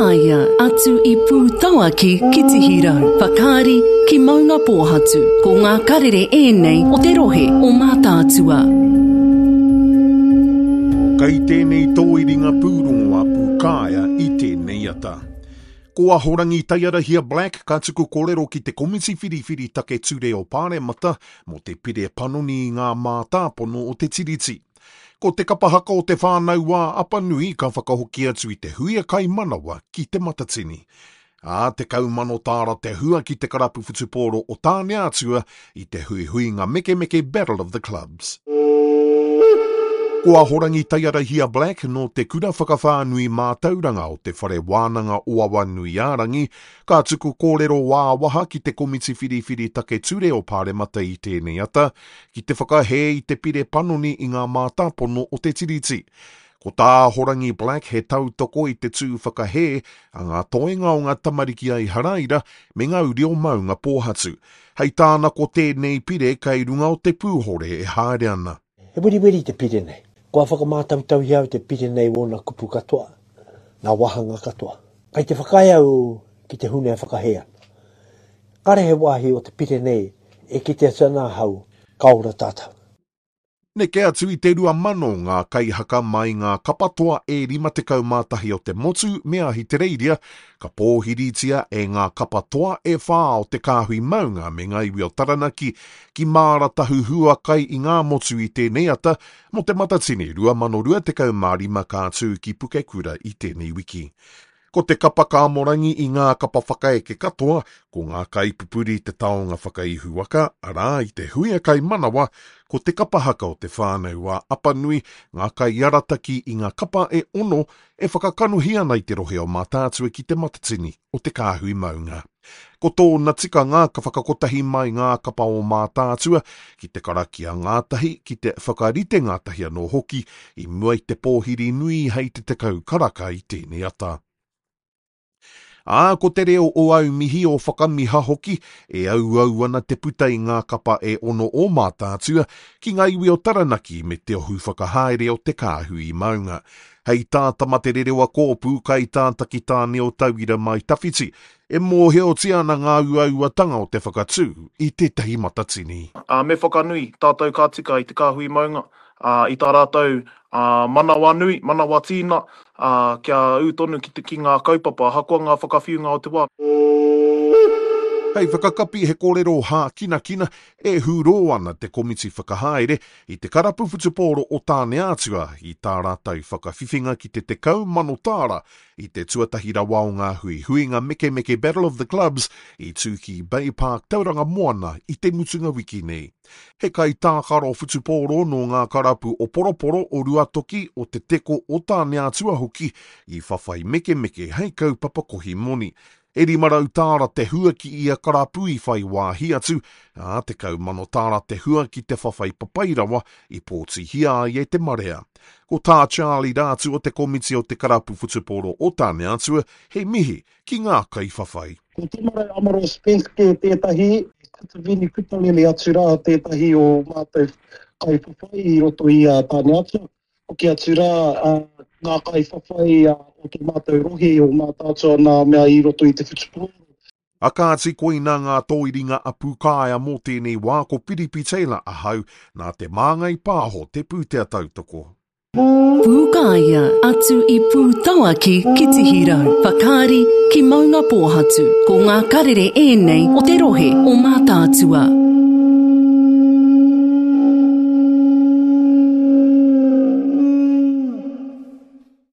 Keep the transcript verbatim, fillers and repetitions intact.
Pūkāea, atu i Pūtauaki ki Tihirau, Whakaari ki Maungapōhatu. Ko ngā karere ēnei o te rohe o Mātaatua. Kei tēnei tōiringa pūrongo a Pūkāea i tēnei ata. Ko Ahorangi Taiarahia Black ka tuku kōrero ki te Komiti Whiriwhiri Take Ture o Pāremata mō te pire panoni i ngā mātāpono o te Tiriti. Ko te kapa haka o te Whānau a Apanui ka whakahoki atu i te huia kaimanawa ki Te Matatini. Ā, tekau mano tāra te hua ki te karapu whutupōro o Tāneatua i te huihuinga mekemeke Battle of the Clubs. Ko Ahorangi Taiarahia Black nō te kura whakawhānui mātauranga o te Whare Wānanga o Awanuiārangi, ka tuku kōrero wā-waha ki te Komiti Whiriwhiri Take Ture o Pāremata i tēnei ata, ki te whakahē i te pire panoni i ngā mātāpono o te Tiriti. Ko tā Ahorangi Black he tautoko i te tū whakahē a ngā toenga o ngā tamariki a Iharaira me ngā uri o Maungapōhatu. Hei tāna ko tēnei pire kei runga o te pūhore e haere ana. He weriweri te pire nei. Kua whakamātautauhia au te pire nei wōna kupu katoa, ngā wāhanga katoa. Kei te whakaae au ki te huna e whakahē ana. Kāre he wāhi o te pire nei e kite atu ana ahau ka ora tātou. Neke atu i te rua mano ngā kaihaka mai ngā kapa toa e rima tekau mā tahi o te motu me Ahitereiria, ka pōhiritia e ngā kapa toa e whā o te kāhui maunga me ngā iwi o Taranaki ki Māratahu hua kai i ngā motu i tēnei ata mō te Matatini rua mano rua tekau mā rima ka tū ki Pukekura i tēnei wiki. Ko te kapa kāmorangi i ngā kapa whakaeke katoa, ko ngā kaipupuri te taonga whakaihuwaka, arā i te huia kaimanawa, ko te kapa haka o te whānau a Apanui, ngā kaiarataki i ngā kapa e ono e whakakanohi ana i te rohe o Mātaatua ki te Matatini o te Kāhui Maunga. Ko tōna tikanga ka whakakotahi mai ngā kapa o Mātaatua ki te karakia ngātahi, ki te whakarite ngātahi anō hoki i mua i te pōhiri nui hei te tekau karaka i tēnei ata. Ā, ko te reo o Aumihi o Whakamiha hoki e auau ana te puta i ngā kapa e ono o Mātaatua ki ngā iwi o Taranaki me te ohu whakahaere o te Kāhui Maunga. Hei tā Tama Te Rerewa Kōpū kai tā Takitāne o Tauira Mai Tawhiti, e mōhiotia ana ngā uauatanga o te whakatū i tētahi matatini. Ā, me whakanui tātou ka tika i te Kāhui Maunga, ā, i tā rātou ā, manawa nui, manawa tīna, ā, kia ū tonu ki te, ki ngā kaupapa, ahakoa ngā whakawhiunga o te wā. Hei whakakapi he kōrero hākinakina e hūrō ana te komiti whakahaere i te karapu whutupōro o Tāneatua i tā rātou whakawhiwhinga ki te tekau mano tāra i te tuatahi rawa o ngā huihuinga mekemeke Battle of the Clubs i tū ki Bay Park Tauranga Moana i te mutunga wiki nei. He kaitākaro whutupōro nō ngā karapu o Poroporo, o Ruatoki, o Te Teko, o Tāneatua hoki i whawhai mekemeke hei kaupapa kohi moni. E rima rau tāra te hua ki ia karapu i whai wāhi atu, ā, tekau mano tāra te hua ki te whawhai papai rawa i pōtihia ai e te marea. Ko tā Charlie Rātu o te komiti o te karapu whutupōro o Tāneatua he mihi ki ngā kaiwhawhai. Ko Temare Amaro Spence kē tētahi, Kativini Kutalele atu rā tētahi o mātou kaiwhawhai i roto i a Tāneatua. Hoki atu rā ngā kaiwhawhai o tō mātou rohe o Mātaatua nā mea i roto i te whutupōro. A kāti koina ngā tōiringa a Pūkāea mō tēnei wā ko Piripi Taylor ahau nā te Māngai Pāho te pūtea tautoko. Pūkāea, atu i Pūtauaki ki Tihirau, Whakaari ki Maungapōhatu. Ko ngā karere ēnei o te rohe o Mātaatua.